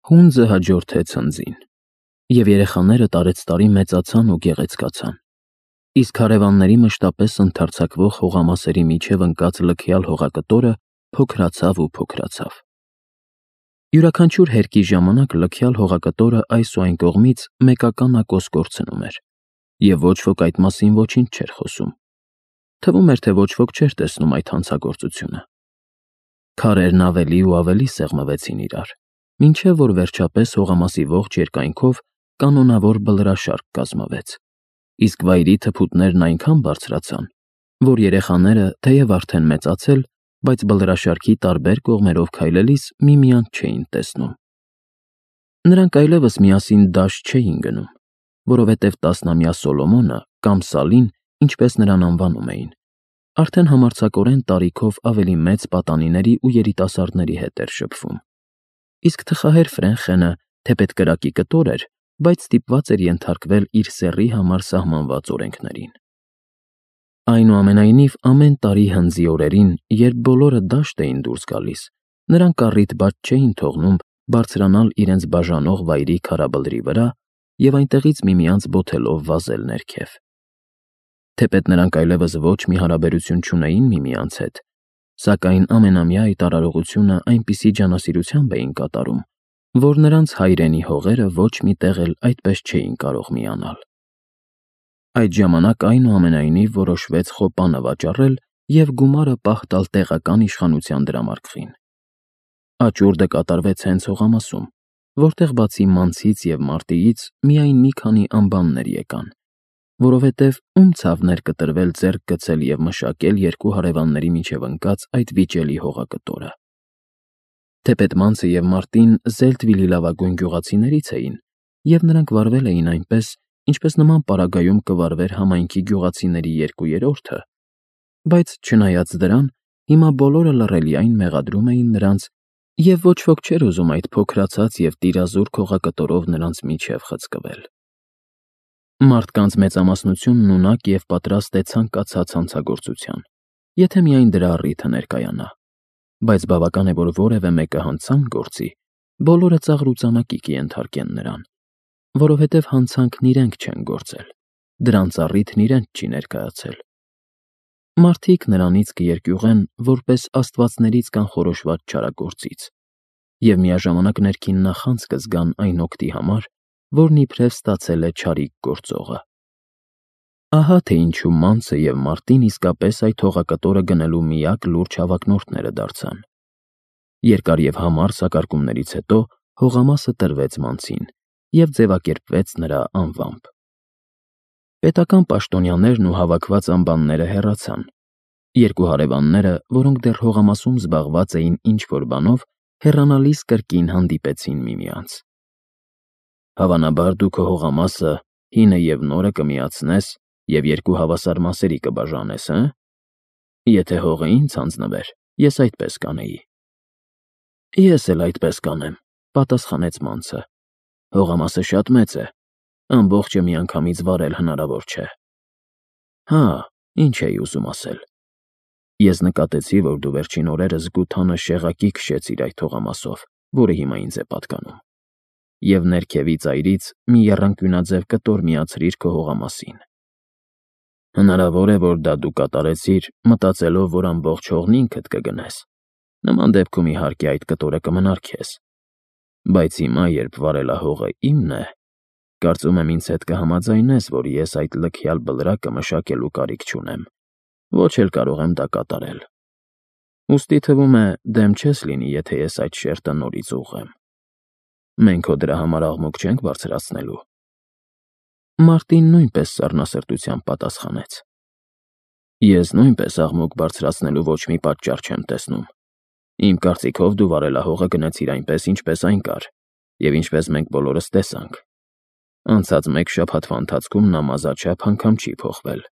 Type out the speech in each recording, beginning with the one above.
Հունձը հաջորդեց հնձին, և երեխաները տարեցտարի մեծացան ու գեղեցկացան, իսկ հարևանների մշտապես ընդարձակվող հողամասերի միջև ընկած լքյալ հողակտորը փոքրացավ ու փոքրացավ։ Յուրաքանչյուր հերկի ժամանակ լքյալ հողակտորը այս ու այն կողմից մեկական ակոս կորցնում էր, և ոչ ոք այդ մասին ոչինչ չէր խոսում։ Թվում էր, թե ոչ ոք չէր տեսնում այդ հանցագործությունը։ Քարերն ավելի ու ավելի սեղմվեցին իրար, մինչև որ վերջապես հողամասի ողջ երկայնքով կանոնավոր բլրաշարք կազմվեց, իսկ վայրի թփուտներն այնքան բարձրացան, որ երեխաները, թեև արդեն մեծացել, բայց բլրաշարքի տարբեր կողմերով քայլելիս միմյանց չէին տեսնում։ Նրանք այլևս միասին դաշտ չէին գնում, որովհետև 10-ամյա Սոլոմոնը կամ Սալին, ինչպես նրան անվանում էին, արդեն համարձակորեն տարիքով ավելի մեծ պատանիների ու երիտասարդների հետ էր շփվում, իսկ թխահեր Ֆրենխենը, թեպետ կրակի կտոր էր, բայց ստիպված էր ենթարկվել իր սեռի համար սահմանված օրենքներին։ Այնուամենայնիվ, ամեն տարի հնձի օրերին, երբ բոլորը դաշտ էին դուրս գալիս, նրանք առիթ բաց չէին թողնում բարձրանալ իրենց բաժանող վայրի քարաբլրի վրա և այնտեղից միմյանց բոթելով վազել ներքև։ Թեպետ նրանք այլևս ոչ մի հարաբերություն չունեին միմյանց հետ, սակայն ամենամյա այդ արարողությունը այնպիսի ջանասիրությամբ էին կատարում, որ նրանց հայրենի հողերը ոչ մի տեղ էլ այդպես չէին կարող միանալ։ Այդ ժամանակ այնուամենայնիվ որոշվեց խոպանը վաճառել և գումարը պահ տալ տեղական իշխանության դրամարկղին։ Աճուրդը կատարվեց հենց հողամասում, որտեղ բացի մանցից և մարտիից միայն մի քանի անբաններ եկան, որովհետև ում ցավն էր կտրվել ձեռք գցել և մշակել երկու հարևանների միջև ընկած այդ վիճելի հողակտորը։ Թեպետ մանցը և մարտին Զելտվիլի լավագույն գյուղացիներից էին, և նրանք վարվել էին այնպես, ինչպես նման պարագայում կվարվեր համայնքի գյուղացիների 2/3, բայց չնայած դրան, հիմա բոլորը լռելիայն մեղադրում էին նրանց, և ոչ ոք չէր ուզում այդ փոքրացած և տիրազուրկ հողակտորով նրանց միջև խցկվել։ Մարդկանց մեծամասնությունն ունակ և պատրաստ է ցանկացած հանցագործության, եթե միայն դրա առիթը ներկայանա, բայց բավական է, որ որևէ մեկը հանցանք գործի, բոլորը ծաղրուծանակի կենթարկեն նրան, որովհետև հանցանքն իրենք չեն գործել, դրանց առիթն իրենց չի ներկայացել։ Մարդիկ նրանից կերկյուղեն որպես աստվածներից կանխորոշված չարագործից և միաժամանակ ներքին նախանձ կզգան այն օգտի համար, որն իբրև ստացել է չարիք գործողը։ Ահա թե ինչու մանցը և մարտին իսկապես այդ հողակտորը գնելու միակ լուրջ հավակնորդները դարձան։ Երկար և համառ սակարկումներից հետո հողամասը տրվեց մանցին և ձևակերպվեց նրա անվամբ։ Պետական պաշտոնյաներն ու հավաքված անբանները հեռացան։ Երկու հարևանները, որոնք դեռ հողամասում զբաղված էին ինչ-որ բանով, հեռանալիս կրկին հանդիպեցին միմյանց։ Հավանաբար դու քո հողամասը հինը և նորը կմիացնես և երկու հավասար մասերի կբաժանես, հը՞։ Եթե հողը ինձ հանձնվեր, ես այդպես կանեի։ Ես էլ այդպես կանեմ, պատասխանեց մանցը։ Հողամասը շատ մեծ է, ամբողջը միանգամից վարել հնարավոր չէ։ Հա, ինչ էի ուզում ասել։ Ես նկատեցի, որ դու վերջին օրերս գութանը շեղակի քշեցիր այդ հողամասով, որը հիմա ինձ է պատկանում, և ներքևի ծայրից մի եռանկյունաձև կտոր միացրիր քո հողամասին։ Հնարավոր է, որ դա դու կատարեցիր, մտածելով, որ ամբողջ հողն ինքդ կգնես։ Նման դեպքում, իհարկե, այդ կտորը կմնար քեզ։ Բայց հիմա, երբ վարելահողը իմն է, կարծում եմ ինձ հետ կհամաձայնես, որ ես այդ լքյալ բլրակը մշակելու կարիք չունեմ, ոչ էլ կարող եմ դա կատարել։ Ուստի թվում է, դեմ չես լինի, եթե ես այդ շերտը նորից ուղղեմ։ Մենք հո դրա համար աղմուկ չենք բարձրացնելու։ Մարտին նույնպես սառնասրտությամբ պատասխանեց. Ես նույնպես աղմուկ բարձրացնելու ոչ մի պատճառ չեմ տեսնում։ Իմ կարծիքով դու վարելահողը գնեցիր այնպես, ինչպես այն կար, և ինչպես մենք բոլորս տեսանք։ Անցած մեկ շաբաթվա ընթացքում նա մազաչափ անգամ չի փոխվել։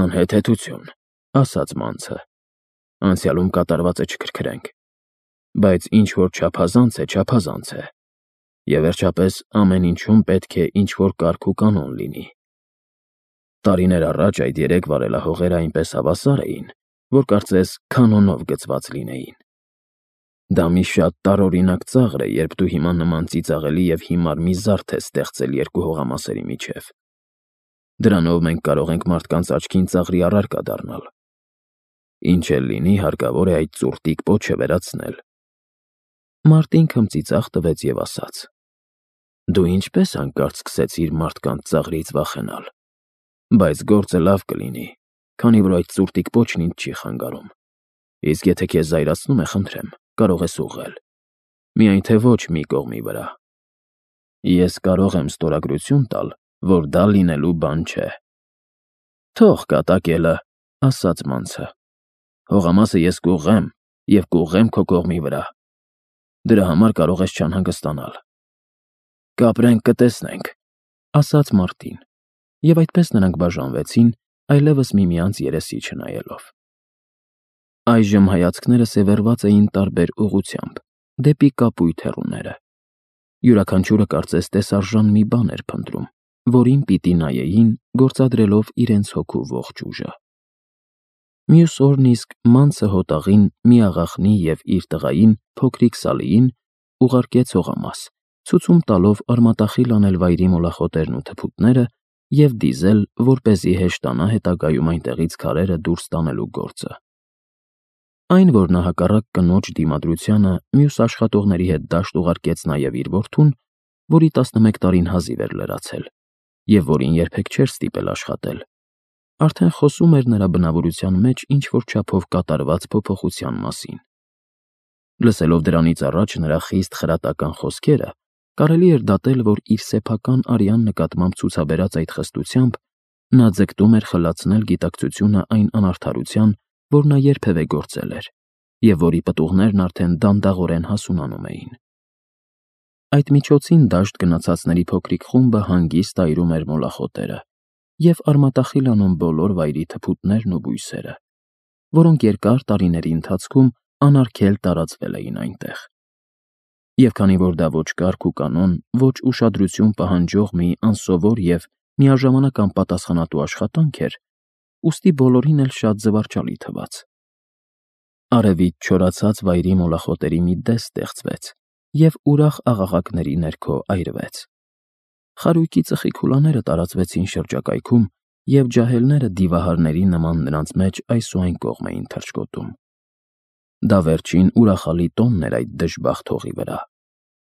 Անհեթեթություն, ասաց մանցը։ Անցյալում կատարվածը չքրքրենք։ Բայց ինչ որ չափազանց է, չափազանց է։ Եվ վերջապես ամեն ինչում պետք է ինչ-որ կարգ ու կանոն լինի։ Տարիներ առաջ այդ երեք վարելահողերը այնպես հավասար էին, որ կարծես կանոնով գծված լինեին։ Դա մի շատ տարօրինակ ծաղր է, երբ դու հիմա նման ծիծաղելի և հիմար մի զարդ ես ստեղծել երկու հողամասերի միջև։ Դրանով մենք կարող ենք մարդկանց աչքին ծաղրի առարկա դառնալ։ Ինչ էլ լինի, հարկավոր է այդ ծուռտիկ պոչը վերացնել։ Մարտին քմծիծաղ տվեց և ասաց. Դու ինչպես հանկարծ սկսեցիր մարդկանց ծաղրից վախենալ։ Բայց գործը լավ կլինի, քանի որ այդ ծուռտիկ պոչն ինձ չի խանգարում։ Իսկ եթե քեզ զայրացնում է, խնդրեմ, կարող ես ուղղել։ Միայն թե ոչ մի կողմի վրա։ Ես կարող եմ ստորագրություն տալ, որ դա լինելու բան չէ։ Թող կատակելը, ասաց մանցը։ Հողամասը ես կուղղեմ և կուղղեմ քո կողմի վրա։ Դրա համար կարող ես չանհանգստանալ։ Կապրենք, կտեսնենք, ասաց Մարտին, և այդպես նրանք բաժանվեցին, այլևս միմյանց երեսի չնայելով։ Այժմ հայացքները սևեռված էին տարբեր ուղղությամբ, դեպի կապույտ հեռուները։ Յուրաքանչյուրը կարծես տեսարժան մի բան էր փնտրում, որին պիտի նայեին, գործադրելով իրենց հոգու ողջ ուժը։ Մյուս օրն իսկ մանցը հոտաղին, միաղախնի և իր տղային, փոքրիկ Սալիին, ուղարկեց հողամաս, ցուցում տալով արմատախիլ անել վայրի մոլախոտերն ու թփուտները և դիզել, որպեսզի հեշտանա հետագայում այնտեղից քարերը դուրս տանելու գործը։ Այն, որ նա հակառակ կնոջ դիմադրությանը մյուս աշխատողների հետ դաշտ ուղարկեց նաև իր որդուն, որի 11 տարին հազիվ էր լրացել, և որին երբեք չէր ստիպել աշխատել, արդեն խոսում էր նրա բնավորության մեջ ինչ-որ չափով կատարված փոփոխության մասին։ Լսելով դրանից առաջ նրա խիստ խրատական խոսքերը, կարելի էր դատել, որ իր սեփական արյան նկատմամբ ցուցաբերած այդ խստությամբ նա ձգտում էր խլացնել գիտակցությունը այն անարդարության, որ նա երբևէ գործել էր, և որի պտուղներն արդեն դանդաղորեն հասունանում էին։ Այդ միջոցին դաշտ գնացածների փոքրիկ խումբը հանգիստ այրում էր մոլախոտերը և արմատախիլ անում բոլոր վայրի թփուտներն ու բույսերը, որոնք երկար տարիների ընթացքում անարգել տարածվել էին այնտեղ։ Եվ քանի որ դա ոչ կարգ ու կանոն, ոչ ուշադրություն պահանջող մի անսովոր և միաժամանակ անպատասխանատու աշխատանք էր, ուստի բոլորին էլ շատ զվարճալի թվաց։ Արևից չորացած վայրի մոլախոտերի մի դես ստեղծվեց և ուրախ աղաղակների ներքո այրվեց։ Խարույկի ծխի քուլաները տարածվեցին շրջակայքում, և ջահելները դիվահարների նման նրանց մեջ այս ու այն կողմ էին թռչկոտում։ Դա վերջին ուրախալի տոնն էր այդ դժբախտ հողի վրա։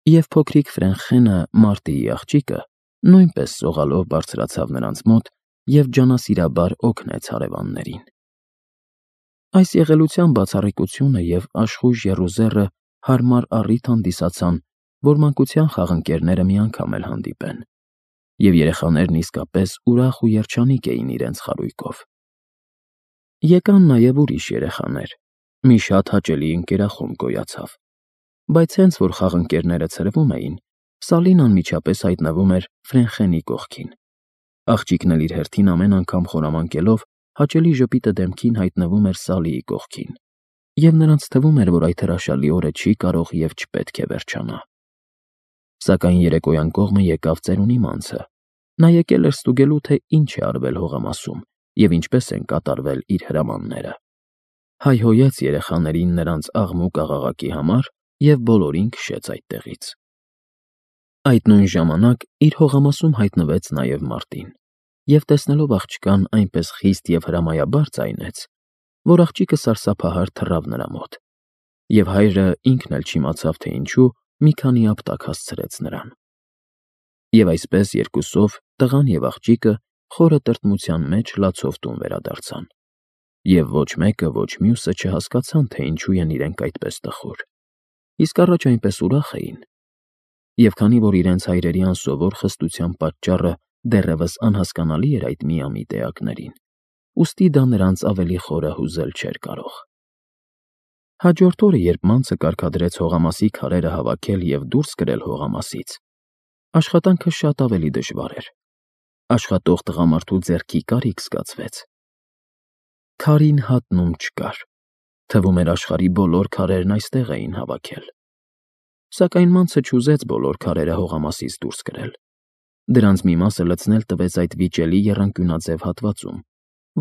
Եվ փոքրիկ Ֆրենխենը, Մարտիի աղջիկը, նույնպես սողալով բարձրացավ նրանց մոտ և ջանասիրաբար օգնեց հարևաններին։ Այս եղելության բացառիկությունը և աշխույժ եռուզեռը հարմար առիթ հանդիսացան, որ մանկության խաղընկերները մի անգամ էլ հանդիպեն, և երեխաներն իսկապես ուրախ ու երջանիկ էին իրենց խարույկով։ Եկան նաև ուրիշ երեխաներ, մի շատ հաճելի ընկերախումբ գոյացավ, բայց հենց որ խաղընկերները ցրվում էին, Սալին անմիջապես հայտնվում էր Ֆրենխենի կողքին։ Աղջիկն էլ իր հերթին ամեն անգամ խորամանկելով հաճելի ժպիտը դեմքին հայտնվում էր Սալիի կողքին, և նրանց թվում էր, որ այդ հրաշալի օրը չի կարող և չպետք է վերջանա։ Սակայն երեկոյան կողմը եկավ ծերունի մանցը։ Նա եկել էր ստուգելու, թե ինչ է արվել հողամասում և ինչպես են կատարվել իր հրամանները։ Հայհոյեց երեխաներին նրանց աղմուկ աղաղակի համար և բոլորին քշեց այդտեղից։ Այդ նույն ժամանակ իր հողամասում հայտնվեց նաև Մարտին, և տեսնելով աղջկան այնպես խիստ և հրամայաբար ձայնեց, որ աղջիկը սարսափահար թռավ նրա մոտ, և հայրը ինքն էլ չիմացավ, թե ինչու մի քանի ապտակ հասցրեց նրան։ Եվ այսպես երկուսով տղան և աղջիկը խորը տրտմության մեջ լացով տուն վերադարձան, և ոչ մեկը, ոչ մյուսը չհասկացան, թե ինչու են իրենք այդպես տխուր, իսկ առաջ այնպես ուրախ էին։ Եվ քանի որ իրենց հայրերի անսովոր խստության պատճառը դեռևս անհասկանալի էր այդ միամիտ էակներին, ուստի դա նրանց ավելի խորը հուզել չէր կարող։ Հաջորդ օրը, երբ մանցը կարգադրեց հողամասի քարերը հավաքել և դուրս կրել հողամասից, աշխատանքը շատ ավելի դժվար էր։ Աշխատող տղամարդու ձեռքի կարիք զգացվեց։ Քարին հատնում չկար։ Թվում էր աշխարհի բոլոր քարերն այստեղ էին հավաքել։ Սակայն մանցը չուզեց բոլոր քարերը հողամասից դուրս կրել։ Դրանց մի մասը լցնել տվեց այդ վիճելի եռանկյունաձև հատվածում,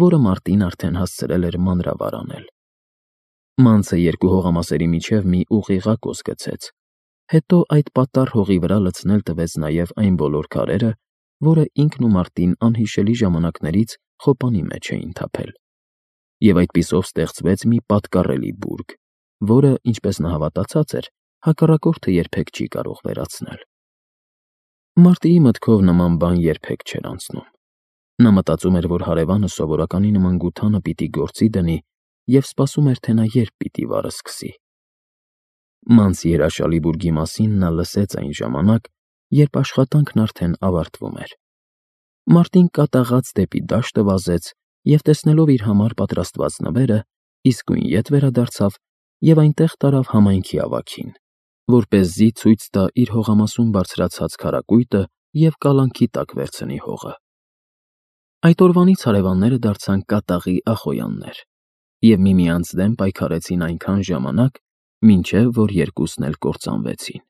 որը Մարտին արդեն հասցրել էր մանրավար անել։ Մանցը երկու հողամասերի միջև մի ուղիղակոս գցեց, հետո այդ պատառ հողի վրա լցնել տվեց նաև այն բոլոր քարերը, որը ինքն ու Մարտին անհիշելի ժամանակներից խոպանի մեջ էին թափել, և այդպիսով ստեղծվեց մի պատկառելի բուրգ, որը, ինչպես նա հավատացած էր, հակառակորդը երբեք չի կարող վերացնել։ Մարտիի մտքով նման բան երբեք չէր անցնում։ Նա մտածում էր, որ հարևանը սովորականի նման գութանը պիտի գործի դնի և սպասում էր, թե նա երբ պիտի վարը սկսի։ Մանցի հրաշալի բուրգի մասին նա լսեց այն ժամանակ, երբ աշխատանքն արդեն ավարտվում էր։ Մարտին կատաղած դեպի դաշտը վազեց և, տեսնելով իր համար պատրաստված նվերը, իսկույն ետ վերադարձավ և այնտեղ տարավ համայնքի ավագին, որպեսզի ցույց տա իր հողամասում բարձրացած քարակույտը և կալանքի տակ վերցնի հողը։ Այդ օրվանից հարևանները դարձան կատաղի ախոյաններ և միմյանց դեմ պայքարեցին այնքան ժամանակ, մինչև որ երկուսն էլ կործանվեցին։